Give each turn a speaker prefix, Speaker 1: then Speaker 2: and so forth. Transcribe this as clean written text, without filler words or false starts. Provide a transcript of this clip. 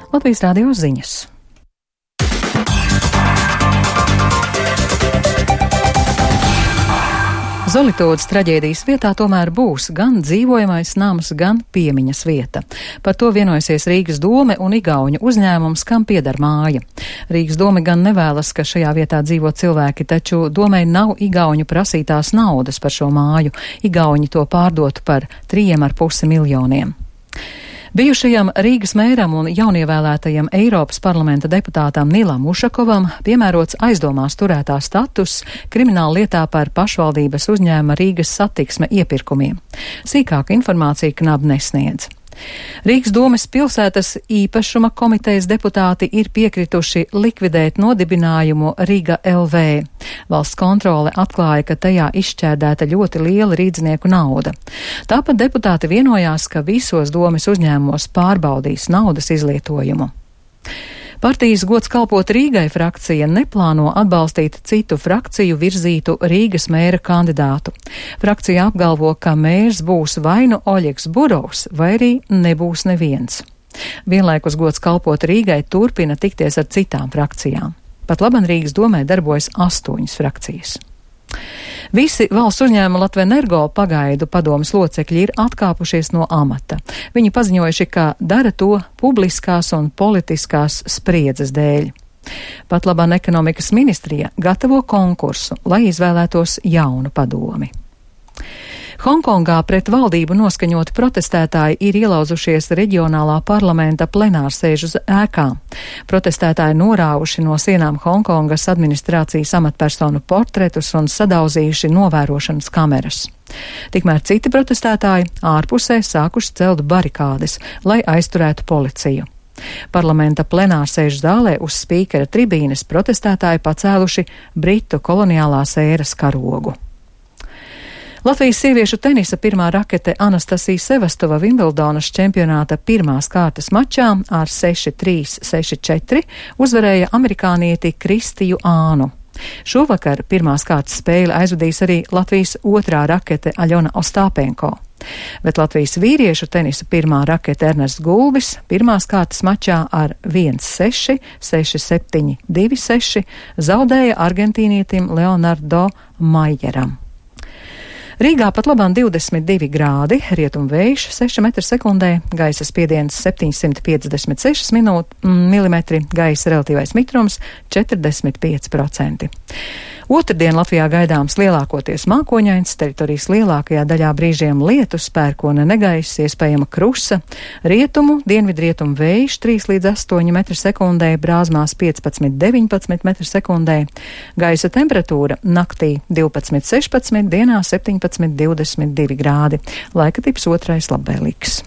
Speaker 1: Latvijas Rādio ziņas. Zolitūdas traģēdijas vietā tomēr būs gan dzīvojamais nams, gan piemiņas vieta. Par to vienojusies Rīgas dome un igauņu uzņēmums, kam pieder māja. Rīgas dome gan nevēlas, ka šajā vietā dzīvo cilvēki, taču domei nav igauņu prasītās naudas par šo māju. Igauņi to pārdotu par 3,5 miljoniem. Bijušajam Rīgas mēram un jaunievēlētajam Eiropas parlamenta deputātam Nilam Ušakovam piemērots aizdomās turētā status krimināla lietā par pašvaldības uzņēmuma Rīgas satiksme iepirkumiem. Sīkāka informācija KNAB nesniedz. Rīgas domes pilsētas īpašuma komitejas deputāti ir piekrituši likvidēt nodibinājumu Riga LV. Valsts kontrole atklāja, ka tajā izšķērdēta ļoti liela rīdznieku nauda. Tāpat deputāti vienojās, ka visos domes uzņēmumos pārbaudīs naudas izlietojumu. Partijas Gods kalpot Rīgai frakcija neplāno atbalstīt citu frakciju virzītu Rīgas mēra kandidātu. Frakcija apgalvo, ka mērs būs vai nu Oļegs Burovs, vai arī nebūs neviens. Vienlaikus Gods kalpot Rīgai turpina tikties ar citām frakcijām. Pat laban Rīgas domē darbojas 8 frakcijas. Visi valsts uzņēmuma Latvenergo pagaidu padomes locekļi ir atkāpušies no amata. Viņi paziņojuši, ka dara to publiskās un politiskās spriedzes dēļ. Pat laban ekonomikas ministrija gatavo konkursu, lai izvēlētos jaunu padomi. Hongkongā pret valdību noskaņoti protestētāji ir ielauzušies reģionālā parlamenta plenārsēžu ēkā. Protestētāji norāvuši no sienām Hongkongas administrācijas amatpersonu portretus un sadauzījuši novērošanas kameras. Tikmēr citi protestētāji ārpusē sākuši celt barikādes, lai aizturētu policiju. Parlamenta plenārsēžu zālē uz spīkera tribīnes protestētāji pacēluši Britu koloniālās ēras karogu. Latvijas sieviešu tenisa pirmā rakete Anastasija Sevastova Vimbeldonas čempionāta pirmās kārtas mačā ar 6-3, 6-4 uzvarēja amerikānieti Kristiju Ānu. Šovakar pirmās kārtas spēli aizvadīs arī Latvijas otrā rakete Aļona Ostāpenko. Bet Latvijas vīriešu tenisa pirmā rakete Ernests Gulbis pirmās kārtas mačā ar 1-6, 6-7, 2-6 zaudēja argentīnietim Leonardo Majeram. Rīgā pat labāk 22 grādi, rietumvējš 6 m/sekundē, gaisa spiediens 756 mm, gaisa relatīvais mitrums 45%. Otrdien Latvijā gaidāms lielākoties mākoņains, teritorijas lielākajā daļā brīžiem lietus, pērkona negaiss, iespējama krusa, rietumu, dienvidrietumu vējš 3 līdz 8 m/sekundē, brāzmās 15–19 m/sekundē, gaisa temperatūra naktī 12–16, dienā 17–22 grādi, laika tips otrais labvēlīgs.